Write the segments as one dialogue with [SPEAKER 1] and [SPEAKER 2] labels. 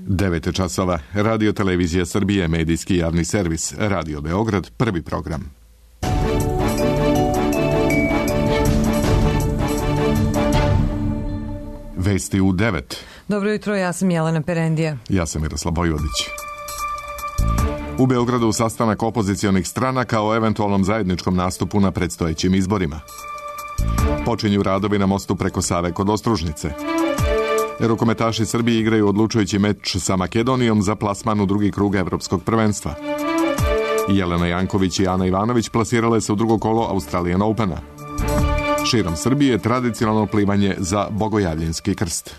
[SPEAKER 1] 9 časova. Radio Televizija Srbije, medijski javni servis. Radio Beograd, prvi program. Vesti u 9.
[SPEAKER 2] Dobro jutro, ja sam Jelena Perendija.
[SPEAKER 1] Ja sam Miroslav Vojvodić. U Beogradu sastanak opozicionih stranaka o eventualnom zajedničkom nastupu na predstojećim izborima. Počinju radovi na mostu preko Save kod Ostružnice. Rukometaši Srbije igraju odlučujući meč sa Makedonijom za plasman u drugi krug Evropskog prvenstva. Jelena Janković i Ana Ivanović plasirale se u drugo kolo Australian Opena. Širom Srbije tradicionalno plivanje za Bogojavljenski krst.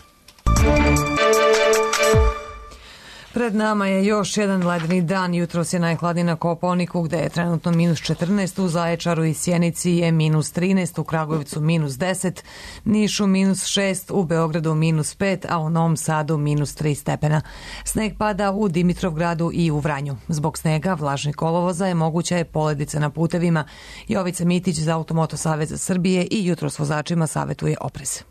[SPEAKER 2] Pred nama je još jedan ledeni dan. Jutros je najhladniji na Kopaoniku, gde je trenutno minus 14, u Zaječaru i Sjenici je minus 13, u Kragujevcu minus 10, Nišu minus 6, u Beogradu minus 5, a u Novom Sadu minus 3 stepena. Sneg pada u Dimitrovgradu i u Vranju. Zbog snega, vlažnih kolovoza je moguća je poledica na putevima. Jovica Mitić za Automoto Saveza Srbije i jutros vozačima savetuje oprez.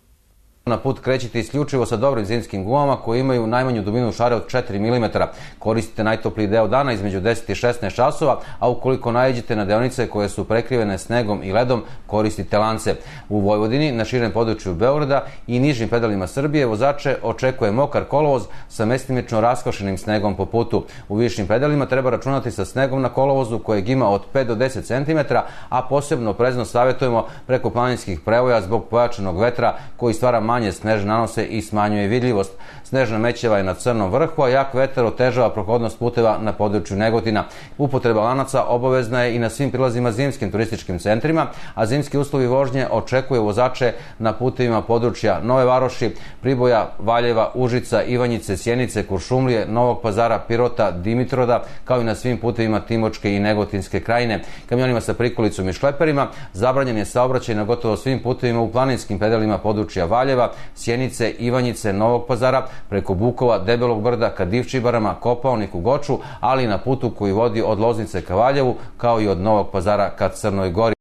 [SPEAKER 3] Na put krećite isključivo sa dobrim zimskim gumama koji imaju najmanju dubinu šare od 4 mm. Koristite najtopliji deo dana između 10 i 16 časova, a ukoliko naiđete na deonice koje su prekrivene snegom i ledom, koristite lance. U Vojvodini, na širem području Beograda i nižim predelima Srbije vozače očekuje mokar kolovoz sa mestimično raskošenim snegom po putu. U višim predelima treba računati sa snegom na kolovozu kojeg ima od 5 do 10 cm, a posebno oprezno savjetujemo preko planinskih prevoja zbog pojačanog vetra koji stvara manje snežne nanose i smanjuje vidljivost. Snežna mećava je na Crnom vrhu, a jak vetar otežava prohodnost puteva na području Negotina. Upotreba lanaca obavezna je i na svim prilazima zimskim turističkim centrima, a zimski uslovi vožnje očekuje vozače na putevima područja Nove Varoši, Priboja, Valjeva, Užica, Ivanjice, Sjenice, Kuršumlije, Novog Pazara, Pirota, Dimitroda, kao i na svim putevima Timočke i Negotinske krajine. Kamionima sa prikolicom i šleperima zabranjen je saobraćaj na gotovo svim putevima u planinskim predelima područja Valjeva, Sjenice, Ivanjice, Novog Pazara, preko Bukova, Debelog brda ka Divčibarama, Kopaoniku, Goču, ali i na putu koji vodi od Loznice ka Valjevu, kao i od Novog Pazara ka Crnoj Gori.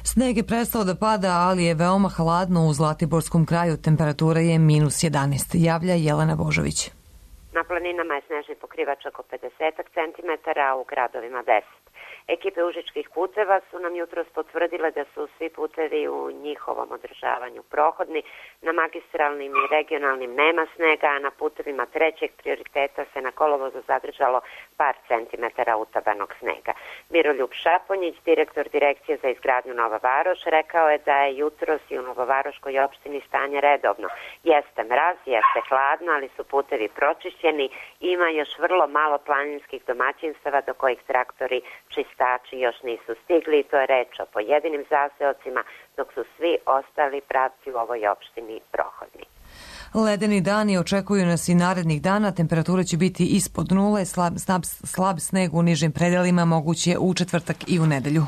[SPEAKER 2] Sneg je prestao da pada, ali je veoma hladno u Zlatiborskom kraju. Temperatura je minus 11. Javlja Jelena Božović.
[SPEAKER 4] Na planinama je snežni pokrivač oko 50 cm, a u gradovima 10. Ekipe užičkih puteva su nam jutros potvrdile da su svi putevi u njihovom održavanju prohodni. Na magistralnim i regionalnim nema snega, a na putevima trećeg prioriteta se na kolovozu zadržalo par centimetara utabanog snega. Miroljub Šaponjić, direktor Direkcije za izgradnju Nova Varoš, rekao je da je jutros i u Novovaroškoj opštini stanje redovno. Jeste mraz, jeste hladno, ali su putevi pročišćeni. Ima još vrlo malo planinskih domaćinstava do kojih traktori čistači još nisu stigli i to je reč o pojedinim zaseocima, dok su svi ostali pravci u ovoj opštini prohodni.
[SPEAKER 2] Ledeni dani očekuju nas i narednih dana. Temperatura će biti ispod nule, slab sneg u nižim predelima moguć je u četvrtak i u nedelju.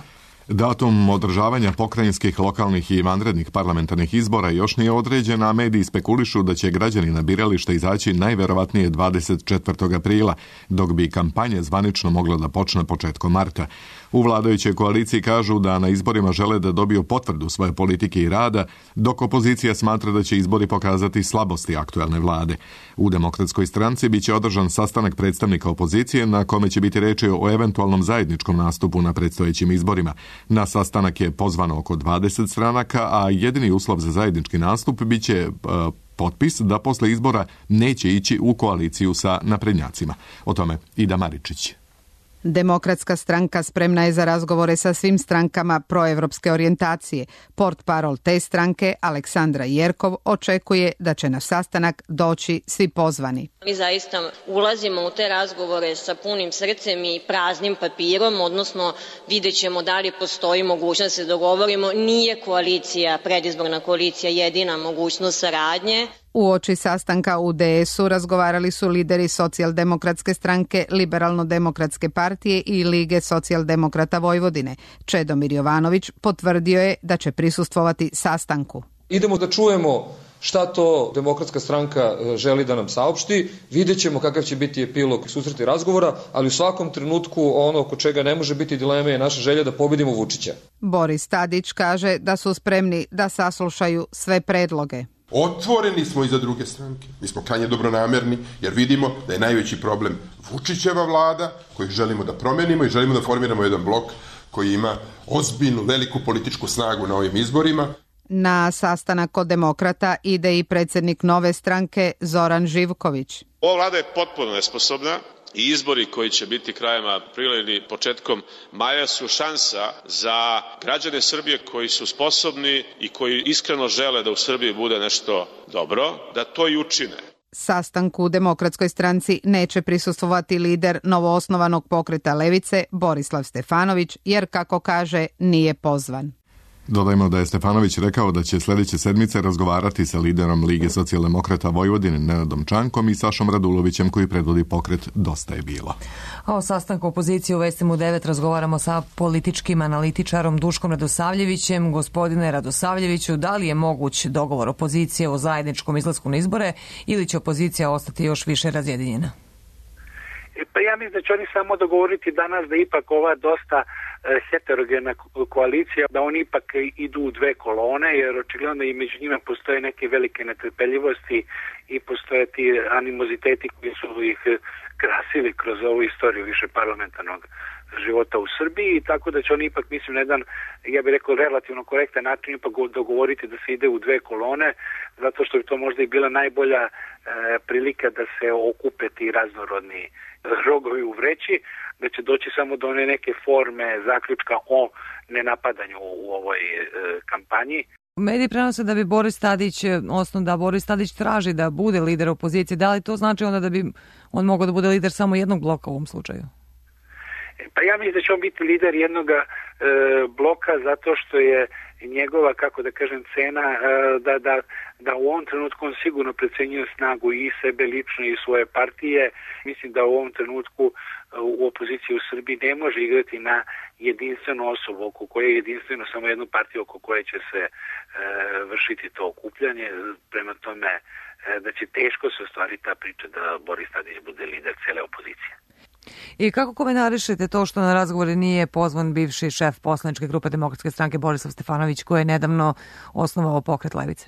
[SPEAKER 1] Datum održavanja pokrajinskih, lokalnih i vanrednih parlamentarnih izbora još nije određen, a mediji spekulišu da će građani na birališta izaći najverovatnije 24. aprila, dok bi kampanja zvanično mogla da počne početkom marta. U vladajućoj koaliciji kažu da na izborima žele da dobiju potvrdu svoje politike i rada, dok opozicija smatra da će izbori pokazati slabosti aktuelne vlade. U Demokratskoj stranci biće održan sastanak predstavnika opozicije na kome će biti reči o eventualnom zajedničkom nastupu na predstojećim izborima. Na sastanak je pozvano oko 20 stranaka, a jedini uslov za zajednički nastup biće potpis da posle izbora neće ići u koaliciju sa naprednjacima. O tome Ida Maričić.
[SPEAKER 5] Demokratska stranka spremna je za razgovore sa svim strankama proevropske orijentacije. Portparol te stranke, Aleksandra Jerkov, očekuje da će na sastanak doći svi pozvani.
[SPEAKER 6] Mi zaista ulazimo u te razgovore sa punim srcem i praznim papirom, odnosno vidjet ćemo da li postoji mogućnost da se dogovorimo. Nije koalicija, predizborna koalicija, jedina mogućnost saradnje.
[SPEAKER 5] Uoči sastanka u DS-u razgovarali su lideri Socijaldemokratske stranke, Liberalno-demokratske partije i Lige socijaldemokrata Vojvodine. Čedomir Jovanović potvrdio je da će prisustvovati sastanku.
[SPEAKER 7] Idemo da čujemo šta to Demokratska stranka želi da nam saopšti, vidjet ćemo kakav će biti epilog susreta i razgovora, ali u svakom trenutku ono oko čega ne može biti dileme je naša želja da pobedimo Vučića.
[SPEAKER 5] Boris Tadić kaže da su spremni da saslušaju sve predloge.
[SPEAKER 8] Otvoreni smo i za druge stranke. Mi smo krajnje dobronamerni jer vidimo da je najveći problem Vučićeva vlada koju želimo da promenimo i želimo da formiramo jedan blok koji ima ozbiljnu, veliku političku snagu na ovim izborima.
[SPEAKER 5] Na sastanak kod demokrata ide i predsjednik Nove stranke Zoran Živković.
[SPEAKER 9] Ova vlada je potpuno nesposobna i izbori koji će biti krajem aprila ili početkom maja su šansa za građane Srbije koji su sposobni i koji iskreno žele da u Srbiji bude nešto dobro, da to i učine.
[SPEAKER 5] Sastanku u Demokratskoj stranci neće prisustvovati lider novoosnovanog pokreta Levice Borislav Stefanović, jer kako kaže nije pozvan.
[SPEAKER 1] Dodajmo da je Stefanović rekao da će sljedeće sedmice razgovarati sa liderom Lige socijaldemokrata Vojvodine Nenadom Čankom i Sašom Radulovićem koji predvodi pokret Dosta je bilo.
[SPEAKER 2] A o sastanku opozicije u Vestima u 9 razgovaramo sa političkim analitičarom Duškom Radosavljevićem. Gospodine Radosavljeviću, da li je moguć dogovor opozicije o zajedničkom izlasku na izbore ili će opozicija ostati još više razjedinjena?
[SPEAKER 10] Pa ja mislim da će oni samo dogovoriti danas da ipak ova dosta heterogena koalicija, da oni ipak idu u dve kolone, jer očigledno i među njima postoje neke velike netrpeljivosti i postoje ti animoziteti koji su ih krasili kroz ovu istoriju više parlamentarnog života u Srbiji, tako da će oni ipak, mislim, na jedan, ja bih rekao, relativno korektan način ipak dogovoriti da se ide u dve kolone, zato što bi to možda i bila najbolja prilika da se okupe ti raznorodni rogovi u vreći, da će doći samo do one neke forme zaključka o nenapadanju u ovoj kampanji.
[SPEAKER 2] Mediji prenose da bi Boris Tadić traži da bude lider opozicije. Da li to znači onda da bi on mogao da bude lider samo jednog bloka u ovom slučaju?
[SPEAKER 10] Pa ja mislim da će on biti lider jednog bloka zato što je njegova, kako da kažem, cena da u ovom trenutku on sigurno precenjuje snagu i sebe lično i svoje partije. Mislim da u ovom trenutku u opoziciji u Srbiji ne može igrati na jedinstvenu osobu oko koje je jedinstveno samo jednu partiju oko koje će se vršiti to okupljanje. Prema tome da će teško se ostvariti ta priča da Boris Tadić bude lider cele opozicije.
[SPEAKER 2] I kako komentarišete to što na razgovore nije pozvan bivši šef poslaničke grupe Demokratske stranke Borislav Stefanović, koji je nedavno osnovao pokret Levice?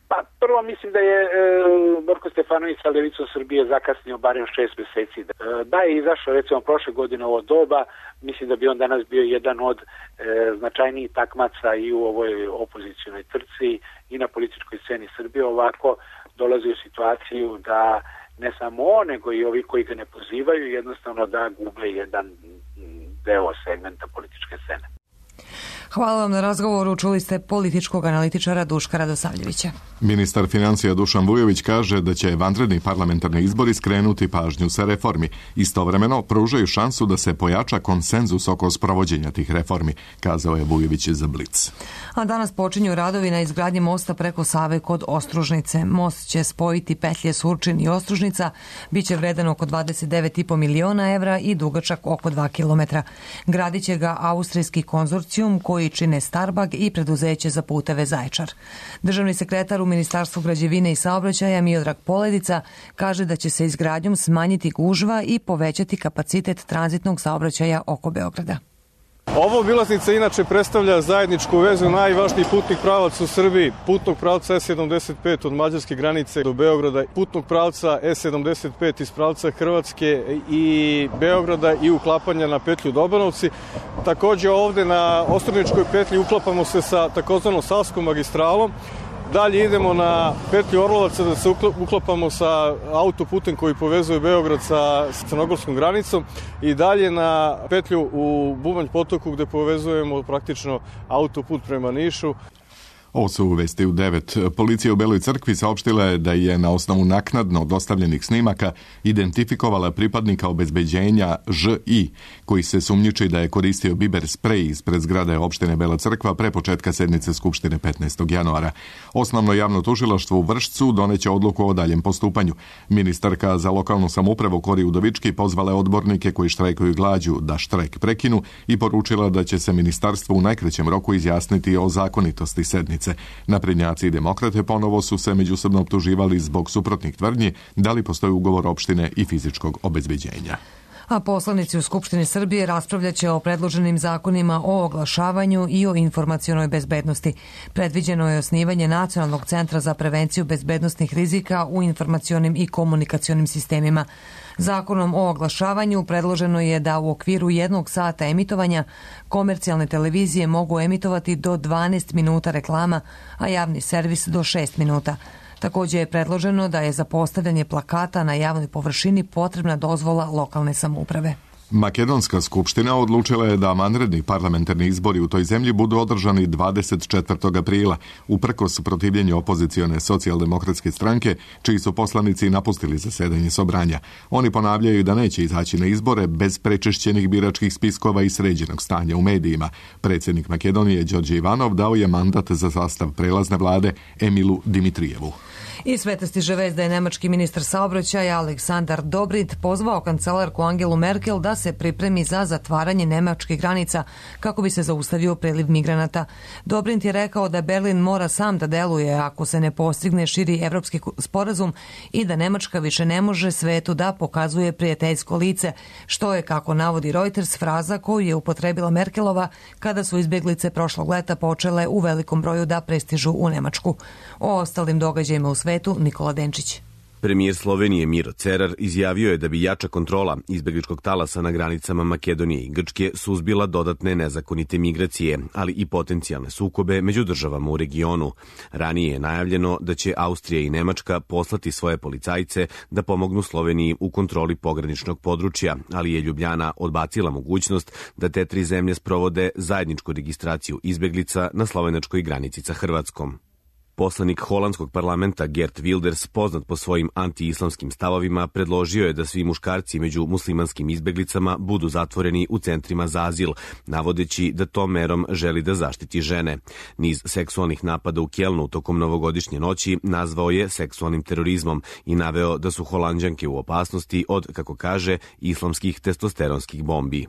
[SPEAKER 10] Pa prvo mislim da je Borko Stefanović sa Levicom Srbije zakasnio barem 6 mjeseci. Da je izašao recimo prošle godine ovo doba, mislim da bi on danas bio jedan od značajnijih takmaca i u ovoj opozicionoj trci i na političkoj sceni Srbije. Ovako dolazi u situaciju da ne samo on, nego i ovi koji ga ne pozivaju, jednostavno da gube jedan deo segmenta političke scene.
[SPEAKER 2] Hvala vam na razgovoru. Čuli ste političkog analitičara Duška Radosavljevića.
[SPEAKER 1] Ministar financija Dušan Vujović kaže da će vanredni parlamentarni izbori skrenuti pažnju sa reformi. Istovremeno pružaju šansu da se pojača konsenzus oko sprovođenja tih reformi, kazao je Vujović za Blic.
[SPEAKER 2] A danas počinju radovi na izgradnji mosta preko Save kod Ostružnice. Most će spojiti petlje Surčin i Ostružnica, biće vredan oko 29,5 miliona evra i dugačak oko 2 kilometra. Gradit će ga austrijski konzorcijum koji čine Starbag i preduzeće za puteve Zaječar. Državni sekretar u Ministarstvu građevine i saobraćaja Miodrag Poledica kaže da će se izgradnjom smanjiti gužva i povećati kapacitet tranzitnog saobraćaja oko Beograda.
[SPEAKER 11] Ova obilaznica inače predstavlja zajedničku vezu najvažnijih putnih pravaca u Srbiji, putnog pravca E75 od mađarske granice do Beograda, putnog pravca E75 iz pravca Hrvatske i Beograda i uklapanja na petlju Dobanovci. Također ovde na Ostružničkoj petlji uklapamo se sa takozvanom Savskom magistralom. Dalje idemo na petlju Orlovaca da se uklapamo sa autoputem koji povezuje Beograd sa crnogorskom granicom i dalje na petlju u Bubanj potoku gde povezujemo praktično autoput prema Nišu.
[SPEAKER 1] Ovo su vesti u 9. Policija u Beloj Crkvi saopštila je da je na osnovu naknadno dostavljenih snimaka identifikovala pripadnika obezbeđenja Ž.I. koji se sumnjiči da je koristio biber sprej ispred zgrade opštine Bela Crkva pre početka sednice Skupštine 15. januara. Osnovno javno tužilaštvo u Vršcu doneće odluku o daljem postupanju. Ministarka za lokalnu samoupravu Kori Udovički pozvala odbornike koji štrajkuju glađu da štrajk prekinu i poručila da će se ministarstvo u najkraćem roku izjasniti o zakonitosti sednice. Naprednjaci i demokrate ponovo su se međusobno optuživali zbog suprotnih tvrdnji da li postoji ugovor opštine i fizičkog obezbeđenja.
[SPEAKER 2] A poslanici u Skupštini Srbije raspravljaće o predloženim zakonima o oglašavanju i o informacionoj bezbednosti. Predviđeno je osnivanje Nacionalnog centra za prevenciju bezbednosnih rizika u informacionim i komunikacionim sistemima. Zakonom o oglašavanju predloženo je da u okviru 1 sata emitovanja komercijalne televizije mogu emitovati do 12 minuta reklama, a javni servis do 6 minuta. Također je predloženo da je za postavljanje plakata na javnoj površini potrebna dozvola lokalne samouprave.
[SPEAKER 1] Makedonska skupština odlučila je da vanredni parlamentarni izbori u toj zemlji budu održani 24. aprila, uprkos protivljenju opozicione socijaldemokratske stranke, čiji su poslanici napustili zasedanje sobranja. Oni ponavljaju da neće izaći na izbore bez prečešćenih biračkih spiskova i sređenog stanja u medijima. Predsjednik Makedonije Đorđe Ivanov dao je mandat za sastav prelazne vlade Emilu Dimitrijevu.
[SPEAKER 2] I sveta stiže vest da je nemački ministar saobraćaja Aleksandar Dobrindt pozvao kancelarku Angelu Merkel da se pripremi za zatvaranje nemačkih granica kako bi se zaustavio priliv migranata. Dobrindt je rekao da Berlin mora sam da deluje ako se ne postigne širi evropski sporazum i da Nemačka više ne može svetu da pokazuje prijateljsko lice, što je, kako navodi Reuters, fraza koju je upotrebila Merkelova kada su izbjeglice prošlog leta počele u velikom broju da prestižu u Nemačku. O ostalim događajima u svetu Nikola Denčić.
[SPEAKER 12] Premijer Slovenije Miro Cerar izjavio je da bi jača kontrola izbjegličkog talasa na granicama Makedonije i Grčke suzbila dodatne nezakonite migracije, ali i potencijalne sukobe među državama u regionu. Ranije je najavljeno da će Austrija i Nemačka poslati svoje policajce da pomognu Sloveniji u kontroli pograničnog područja, ali je Ljubljana odbacila mogućnost da te 3 zemlje sprovode zajedničku registraciju izbjeglica na slovenačkoj granici sa Hrvatskom. Poslanik holandskog parlamenta Geert Wilders, poznat po svojim anti-islamskim stavovima, predložio je da svi muškarci među muslimanskim izbjeglicama budu zatvoreni u centrima za azil, navodeći da tom merom želi da zaštiti žene. Niz seksualnih napada u Kjelnu tokom novogodišnje noći nazvao je seksualnim terorizmom i naveo da su Holanđanke u opasnosti od, kako kaže, islamskih testosteronskih bombi.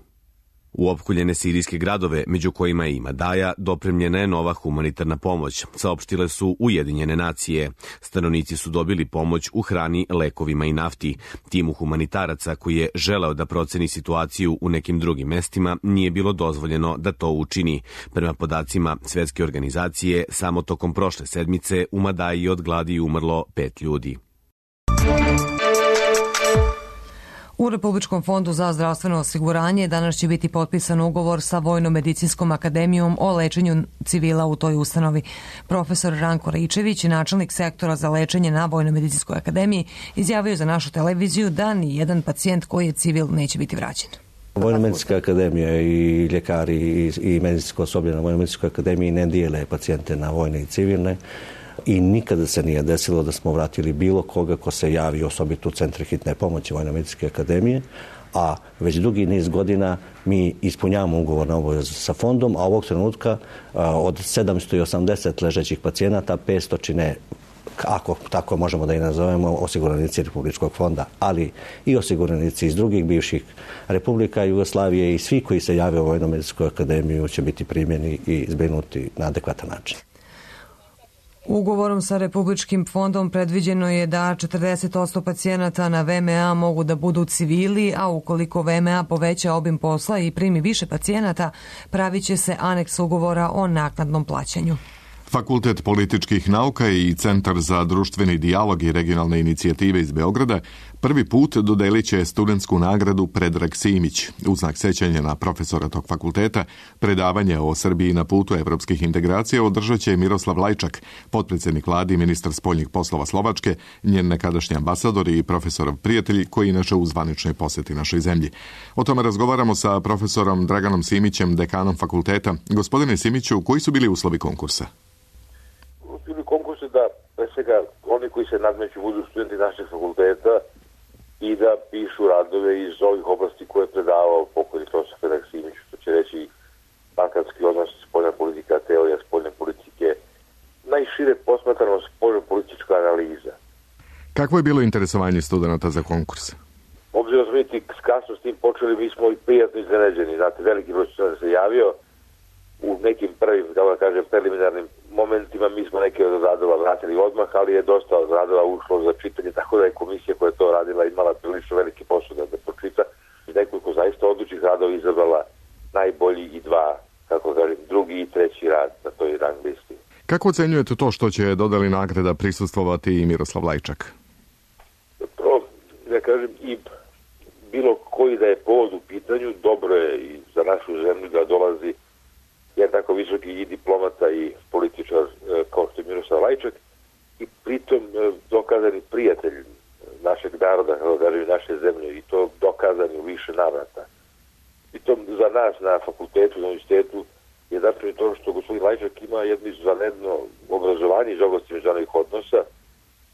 [SPEAKER 12] U opkoljene sirijske gradove, među kojima je i Madaja, dopremljena je nova humanitarna pomoć, saopštile su Ujedinjene nacije. Stanovnici su dobili pomoć u hrani, lekovima i nafti. Timu humanitaraca koji je želeo da proceni situaciju u nekim drugim mestima nije bilo dozvoljeno da to učini. Prema podacima Svjetske organizacije, samo tokom prošle sedmice u Madaji od gladi umrlo 5 ljudi.
[SPEAKER 2] U Republičkom fondu za zdravstveno osiguranje danas će biti potpisan ugovor sa Vojno-medicinskom akademijom o lečenju civila u toj ustanovi. Profesor Ranko Raičević, načelnik sektora za lečenje na Vojno-medicinskoj akademiji, izjavio za našu televiziju da ni jedan pacijent koji je civil neće biti vraćen.
[SPEAKER 13] Vojno-medicinska akademija i ljekari i medicinsko osoblje na Vojno-medicinskoj akademiji ne dijele pacijente na vojne i civilne. I nikada se nije desilo da smo vratili bilo koga ko se javi osobito u centre hitne pomoći Vojno-medicinske akademije, a već dugi niz godina mi ispunjavamo ugovornu obavezu sa fondom, a ovog trenutka od 780 ležećih pacijenata 500 čine, ako tako možemo da i nazovemo, osiguranici Republičkog fonda, ali i osiguranici iz drugih bivših republika Jugoslavije i svi koji se jave u Vojno-medicinsku akademiju će biti primjeni i zbrinuti na adekvatan način.
[SPEAKER 2] Ugovorom sa Republičkim fondom predviđeno je da 40% pacijenata na VMA mogu da budu civili, a ukoliko VMA poveća obim posla i primi više pacijenata, pravit će se aneks ugovora o naknadnom plaćanju.
[SPEAKER 1] Fakultet političkih nauka i Centar za društveni dijalog i regionalne inicijative iz Beograda prvi put dodelit će studentsku nagradu Predrag Simić. U znak sećanja na profesora tog fakulteta, predavanje o Srbiji na putu evropskih integracija održat će Miroslav Lajčak, potpredsjednik vlade i ministar spoljnih poslova Slovačke, njen nekadašnji ambasador i profesorov prijatelj koji inače u zvaničnoj posjeti našoj zemlji. O tome razgovaramo sa profesorom Draganom Simićem, dekanom fakulteta. Gospodine Simiću, koji su bili uslovi konkursa?
[SPEAKER 14] Bili konkursi da, pre svega, oni koji se nadmeću budu studenti našeg fakulteta i da pišu radove iz ovih oblasti koje je predavao pokojni profesor Predrag Simić, što će reći balkanski odnos, spoljna politika, teorija spoljne politike, najšire posmatrano spoljno-politička analiza.
[SPEAKER 1] Kakvo je bilo interesovanje studenta za konkurs?
[SPEAKER 14] Obzirom smo mi kasno s tim počeli, mi smo i prijatno iznenađeni. Znate, veliki broj studenta se javio u nekim prvim, kako da kažem, preliminarnim momentima. Mi smo neke od radova vratili odmah, ali je dosta od radova ušlo za čitanje, tako da je komisija koja je to radila imala prilično veliki posao da pročita. Neku
[SPEAKER 1] Kako ocenjujete to što će dodali nagrada prisustvovati i Miroslav Lajčak?
[SPEAKER 14] Da kažem, i bilo koji da je povod u pitanju, dobro je i za našu zemlju da dolazi jedan tako visoki i diplomata i političar kao što je Miroslav Lajčak i pritom dokazani prijatelj našeg naroda, kao da kažem, naše zemlje i to dokazani u više navrata. I to za nas na fakultetu, na universitetu je zapravo to što gospodin Lajčak ima jedno izvanredno obrazovanje iz oblasti međunarodnih odnosa,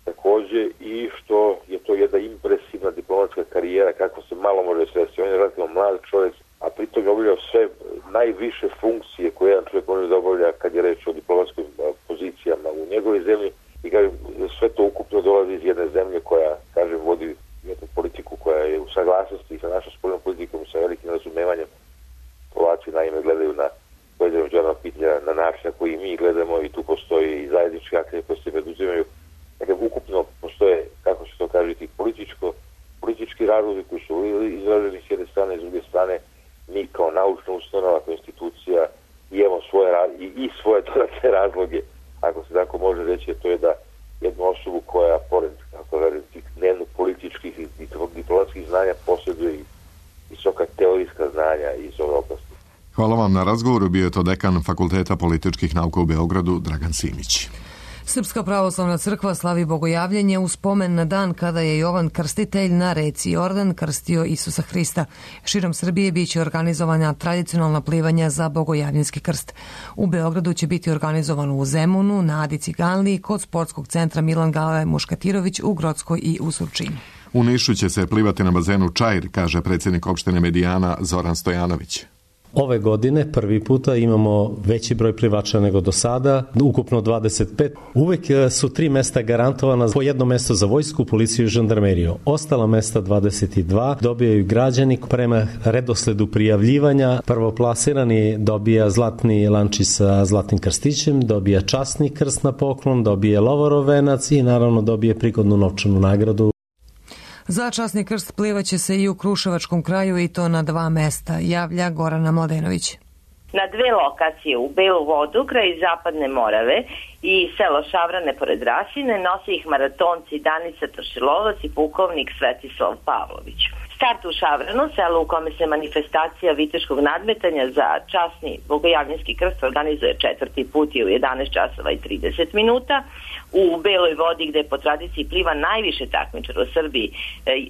[SPEAKER 14] takođe i što je to jedna impresivna diplomatska karijera, kako se malo može svesti. On je relativno mlad čovjek, a pritom je obavljao sve najviše funkcije koje jedan čovjek može da obavlja kad je reč o diplomatskim pozicijama u njegovoj zemlji i kažem, sve to ukupno dolazi iz jedne zemlje koja, kažem, vodi jednu politiku koja je u saglasnosti sa našom spoljnom politikom, sa velikim razumevanjem. Polaci naime gledaju na pojedine međunarodna pitanja na način na koji mi gledamo i tu postoji i zajednički akcije koje se preduzimaju. Dakle, ukupno postoje, kako se to kaže, politički razlozi koji su izraženi s jedne strane, s druge strane mi kao naučna ustanova, kao institucija imamo svoje dodatne razloge, ako se tako može reći, to je da jednu osobu koja, pored tih dnevno političkih i diplomatskih znanja, posjeduje i visoka teorijska znanja iz ove oblasti.
[SPEAKER 1] Hvala vam na razgovoru. Bio je to dekan Fakulteta političkih nauka u Beogradu, Dragan Simić.
[SPEAKER 2] Srpska pravoslavna crkva slavi bogojavljenje u spomen na dan kada je Jovan Krstitelj na reci Jordan krstio Isusa Hrista. Širom Srbije biće organizovana tradicionalna plivanja za bogojavljenski krst. U Beogradu će biti organizovano u Zemunu, na Adi Ciganliji, kod sportskog centra Milan Gale Muškatirović u Grockoj i u Surčinu.
[SPEAKER 1] U Nišu će se plivati na bazenu Čair, kaže predsjednik opštine Medijana Zoran Stojanović.
[SPEAKER 15] Ove godine prvi puta imamo veći broj plivača nego do sada, ukupno 25. Uvek su 3 mesta garantovana, po jedno mesto za vojsku, policiju i žandarmeriju. Ostala mesta 22 dobijaju građani prema redosledu prijavljivanja. Prvoplasirani dobija zlatni lančić sa zlatnim krstićem, dobija časni krst na poklon, dobije lovorov venac i naravno dobije prigodnu novčanu nagradu.
[SPEAKER 2] Za časni krst plivaće se i u Kruševačkom kraju i to na 2 mesta, javlja Gorana Mladenović.
[SPEAKER 16] Na 2 lokacije, u Belu Vodu, kraj Zapadne Morave i selo Šavrane pored Rasine, nosi ih maratonci Danica Tošilovac i pukovnik Svetislav Pavlović. Start u Šavranu, selo u kome se manifestacija viteškog nadmetanja za časni bogojavljenski krst organizuje 4. put i u 11 časova i 30 minuta. U Beloj Vodi, gde po tradiciji pliva najviše takmičara u Srbiji,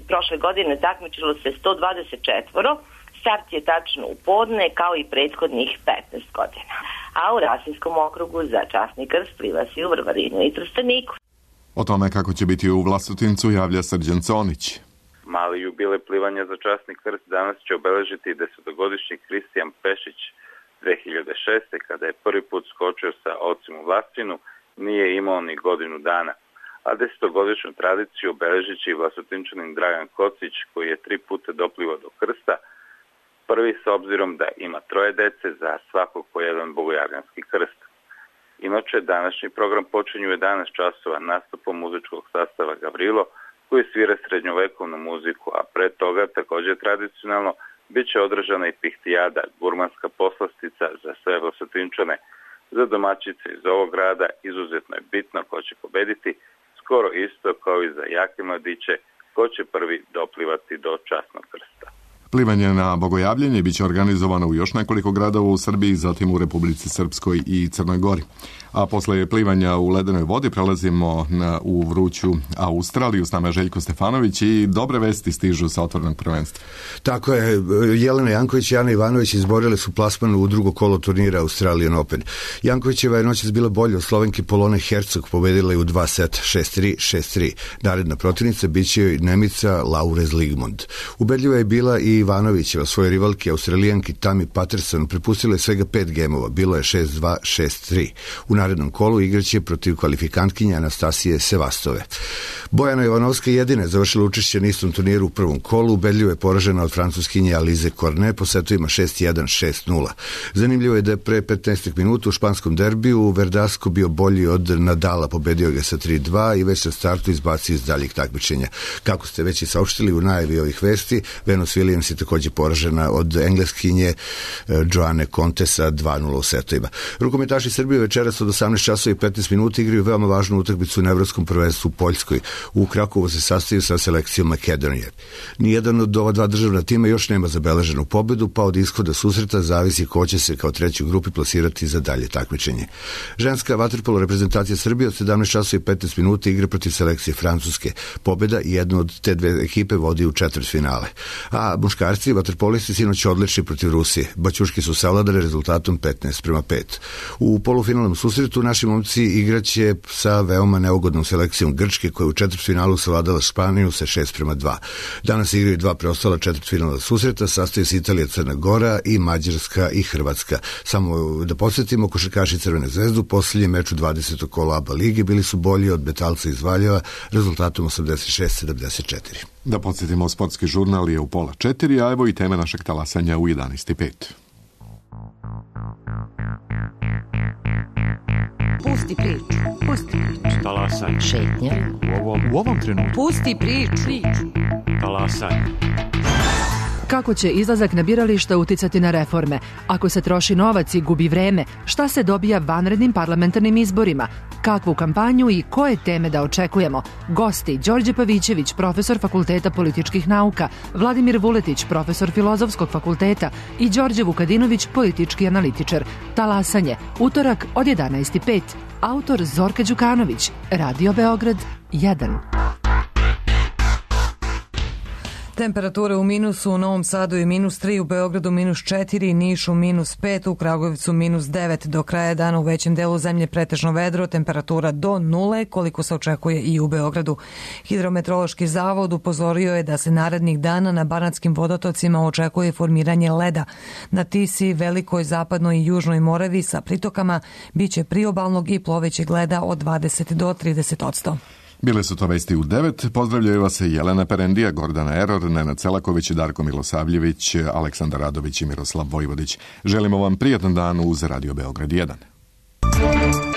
[SPEAKER 16] prošle godine takmičilo se 124. Start je tačno u podne, kao i prethodnih 15 godina. A u Rasinskom okrugu za časni krst pliva se u Vrvarinu i Trsteniku.
[SPEAKER 1] O tome kako će biti u Vlasotincu javlja Srđan Conić.
[SPEAKER 17] Mali jubilej plivanja za časni krst danas će obeležiti 10-godišnji Kristijan Pešić. 2006. kada je prvi put skočio sa ocem u Vlastinu, nije imao ni godinu dana. A 10-godišnju tradiciju obeležit će i Vlasotinčanin Dragan Kocić, koji je 3 puta doplivao do krsta. Prvi s obzirom da ima 3 dece, za svakog po jedan bogojavljanski krst. Inače, današnji program počinje u 11 časova nastupom muzičkog sastava Gavrilo, koji svira srednjovekovnu muziku, a pre toga također tradicionalno bit će održana i pihtijada, gurmanska poslastica za sve Vlasotinčane. Za domaćice iz ovog grada izuzetno je bitno ko će pobediti, skoro isto kao i za jake mladiće ko će prvi doplivati do časnog krsta.
[SPEAKER 1] Plivanje na bogojavljenje biće organizovano u još nekoliko gradova u Srbiji, zatim u Republici Srpskoj i Crnoj Gori. A posle plivanja u ledenoj vodi prelazimo u vruću Australiju. S nama je Željko Stefanović i dobre vesti stižu sa otvorenog prvenstva.
[SPEAKER 18] Tako je, Jelena Janković i Ana Ivanović izborile su plasman u drugo kolo turnira Australian Open. Jankovićeva je noćas bila bolja od Slovenke Polone Hercog, pobedila je u 2 seta 6-3, 6-3. Naredna protivnica biće joj Nemica Laurez Ligmond. Ubedljiva je bila i Ivanovićeva, svoje rivalke Australijanki Tammy Patterson prepustila je svega 5 gemova, bilo je 6-2, 6-3. U narednom kolu igraće protiv kvalifikantkinje Anastasije Sevastove. Bojana Jovanovska jedina je završila učešće na istom turniru u prvom kolu, ubedljivo je poražena od francuskinje Alize Cornet po setovima 6-1, 6-0. Zanimljivo je da je pre 15 minuta u španskom derbiju Verdasco bio bolji od Nadala, pobedio ga sa 3-2 i već sa startu izbacio iz daljih takmičenja. Kako ste već i saopštili u najavi ovih vesti, Venus Williams je također poražena od engleskinje Joane Conte sa 2-0 u setovima. Rukometaši Srbije večeras 18 časova i 15 minuta igraju veoma važnu utakmicu na evropskom prvenstvu u Poljskoj. U Krakovu se sastaju sa selekcijom Makedonije. Nijedan od ova dva državna tima još nema zabeleženu pobedu, pa od ishoda susreta zavisi ko će se kao treći u grupi plasirati za dalje takmičenje. Ženska vaterpolo reprezentacija Srbije od 17 časova i 15 minuta igra protiv selekcije Francuske. Pobeda i jedna od te dve ekipe vodi u četvrtfinale. A muškarci vaterpolisti sinoć odlični protiv Rusije. Baćuški su savladali rezultatom 15:5. U polufinalnom susretu naši momci igraće sa veoma neugodnom selekcijom Grčke koja u četvrtfinalu savladala Španiju sa 6:2. Danas igraju dva preostala četvrtfinalna susreta, sastaju se Italija, Crna Gora i Mađarska i Hrvatska. Samo da podsjetimo, košarkaši Crvene zvezdu u posljednjem meču 20. kola ABA lige bili su bolji od Metalca iz Valjeva rezultatom 86-74.
[SPEAKER 1] Da podsjetimo, sportski žurnal je u 3:30, a evo i teme našeg talasanja u 11:05.
[SPEAKER 19] Pusti priču. Pusti priču.
[SPEAKER 20] Talasanje.
[SPEAKER 19] Šetnja.
[SPEAKER 20] U ovom trenutku.
[SPEAKER 19] Pusti priču.
[SPEAKER 20] Talasanje.
[SPEAKER 21] Kako će izlazak na birališta uticati na reforme? Ako se troši novac i gubi vreme, šta se dobija vanrednim parlamentarnim izborima? Kakvu kampanju i koje teme da očekujemo? Gosti: Đorđe Pavićević, profesor Fakulteta političkih nauka, Vladimir Vuletić, profesor Filozofskog fakulteta i Đorđe Vukadinović, politički analitičar. Talasanje, utorak od 11:05. Autor Zorka Đukanović, Radio Beograd 1.
[SPEAKER 2] Temperature u minusu u Novom Sadu je -3, u Beogradu -4, Nišu -5, u Kragujevcu -9. Do kraja dana u većem delu zemlje pretežno vedro, temperatura do 0, koliko se očekuje i u Beogradu. Hidrometeorološki zavod upozorio je da se narednih dana na banatskim vodotocima očekuje formiranje leda. Na Tisi, Velikoj, Zapadnoj i Južnoj Moravi sa pritokama biće priobalnog i plovećeg leda od 20 do 30%.
[SPEAKER 1] Bile su to vesti u 9. Pozdravljaju vas Jelena Perendija, Gordana Eror, Nenad Selaković, Darko Milosavljević, Aleksandar Radović i Miroslav Vojvodić. Želimo vam prijatan dan uz Radio Beograd 1.